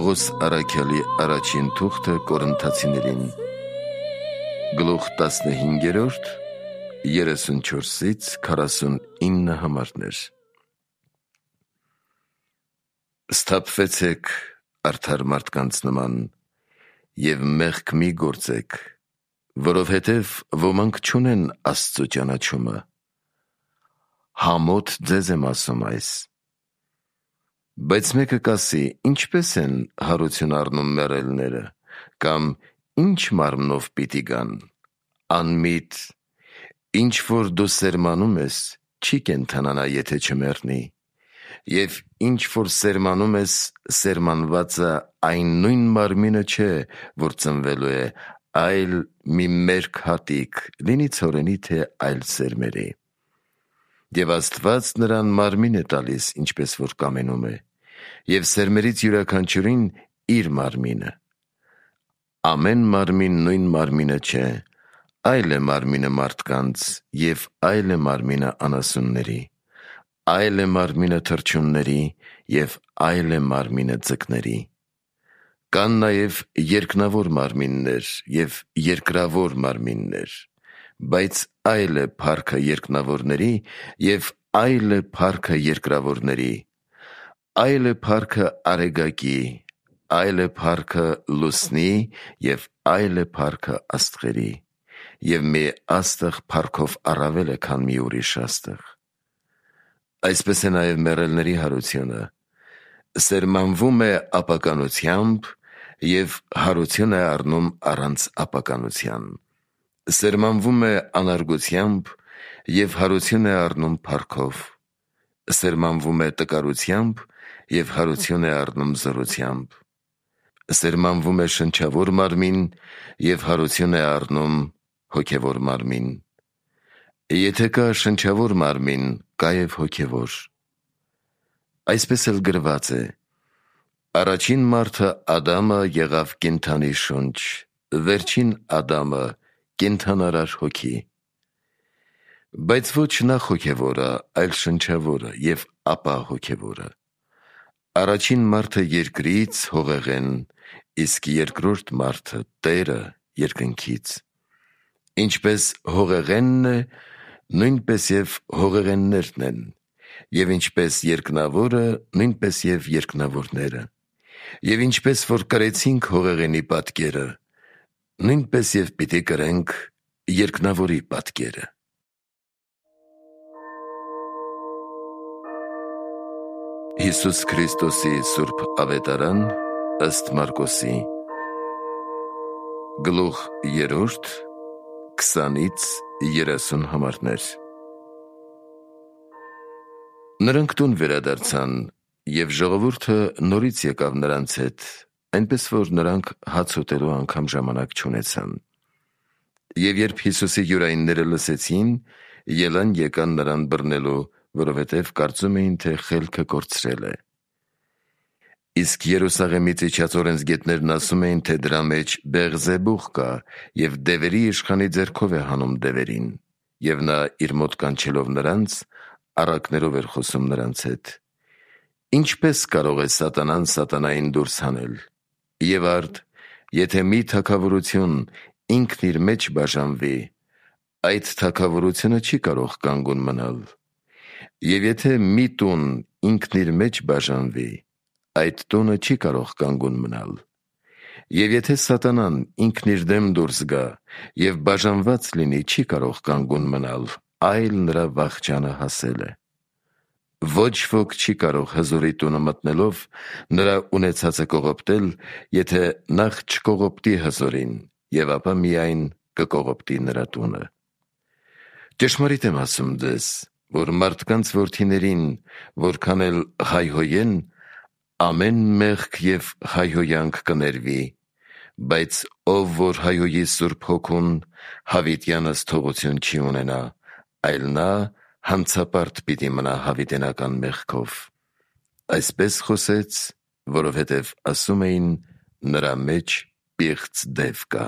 Պողոս առաքյալի առաջին թուղթը Կորինթացիներին, գլուխ 15, 34-ից 49 համարներ։ Սթափվեցեք արդար մարդկանց նման և մեղք մի գործեք, որովհետև ոմանք չունեն Աստծու ճանաչումը։ Համոտ ձեզ եմ ասում այս։ Բայց մեկը կասի, ինչպես են հարություն առնում մեռելները, կամ ինչ մարմնով պիտի գան։ Անմիտ, ինչ որ դու սերմանում ես, չի կենդանանա, եթե չմեռնի, և ինչ որ սերմանում ես, սերմանվածը այն նույն մարմինը չէ, որ ծնվելու է, այլ մի մերկ հատիկ, լինի ցորենի, թե այլ սերմերի։ Եվ Աստված նրան մարմին է տալիս, ինչպես որ կամենում է, և սերմերից յուրաքանչյուրին իր մարմինը։ Ամեն մարմին նույն մարմինը չէ, այլ է մարմինը մարդկանց, և այլ է մարմինը անասունների, այլ է մարմինը թռչունների, և այլ է մարմինը ձկների։ Կան նաև երկնավոր մարմիններ և երկրավոր մարմիններ, բայց այլ է փառքը երկնավորների, և այլ է փառքը երկրավորների, այլ է փառքը արեգակի, այլ է փառքը լուսնի, և այլ է փառքը աստղերի, և մի աստղ փառքով առավել է, քան մի ուրիշ աստղ։ Այսպես է նաև մեռելների հարությունը, սերմանվում է ապականությամբ և հարություն է առնում առանց ապականության, սերմանվում է անարգությամբ և հարություն է առնում փառքով, սերմանվում է տկարությամբ և հարություն է առնում զորությամբ, սերմանվում է շնչավոր մարմին և հարություն է առնում հոգևոր մարմին։ Եթե կա շնչավոր մարմին, կա և հոգևոր։ Այսպես էլ գրված է. առաջին մարդը Ադամը եղավ կենդանի շունչ, վերջին Ադամը կենդանարար հոգի։ Բայց ոչ նախ հոգևորը, այլ շնչավորը, և ապա հոգևորը։ Առաջին մարդը երկրից, հողեղեն, իսկ երկրորդ մարդը Տերը երկնքից։ Ինչպես հողեղենն է, նույնպես և հողեղեններն են, և ինչպես երկնավորը, նույնպես և երկնավորները, և ինչպես որ կրեցինք հողեղենի պատկերը, նույնպես և պիտի կրենք երկնավորի պատկերը։ Հիսուս Քրիստոսի Սուրբ Ավետարան ըստ Մարկոսի, գլուխ 3, 20-ից 30 համարներ։ Նրանք տուն վերադարձան, և ժողովուրդը նորից եկավ նրանց հետ, այնպես որ նրանք հաց ուտելու անգամ ժամանակ չունեցան։ Եվ երբ Հիսուսի յուրայինները լսեցին, ելան եկան նրան բռնելու, որովհետև կարծում էին, թե խելքը կորցրել է։ Իսկ Երուսաղեմից իջած օրենսգետներն ասում էին, թե դրա մեջ Բեղզեբուղ կա, և դևերի իշխանի ձեռքով է հանում դևերին, և նա իր մոտ կանչելով նրանց, առակներով էր խոսում նրանց հետ. ինչպես կարող է սատանան սատանային դուրս հանել։ Եվ արդ, եթե մի թագավորություն ինքն իր մեջ բաժանվի, այդ թագավորությունը չի կարող կանգուն մնալ։ Եվ եթե մի տուն ինքն իր մեջ բաժանվի, այդ տունը չի կարող կանգուն մնալ։ Եվ եթե սատանան ինքն իր դեմ դուրս գա և բաժանված լինի, չի կարող կանգուն մնալ, այլ նրա վախճանը հասել է։ Ոչ ոք չի կարող հզորի տունը մտնելով նրա ունեցածը կողոպտել, եթե նախ չկողոպտի հզորին, և ապա միայն կկողոպտի նրա տունը։ Ճշմարիտ եմ ասում ձեզ, որ մարդկանց որդիներին, որքան էլ հայհոյեն, ամեն մեղք և հայհոյանք կներվի, բայց ով որ հայհոյի Սուրբ Հոգուն, հավիտյանս թողություն չի ունենա, այլ նա հանցապարտ պիտի մնա հավիտենական մեղքով։ Այսպես խոսեց, որովհետև ասում էին. նրա մեջ պիղծ դև կա։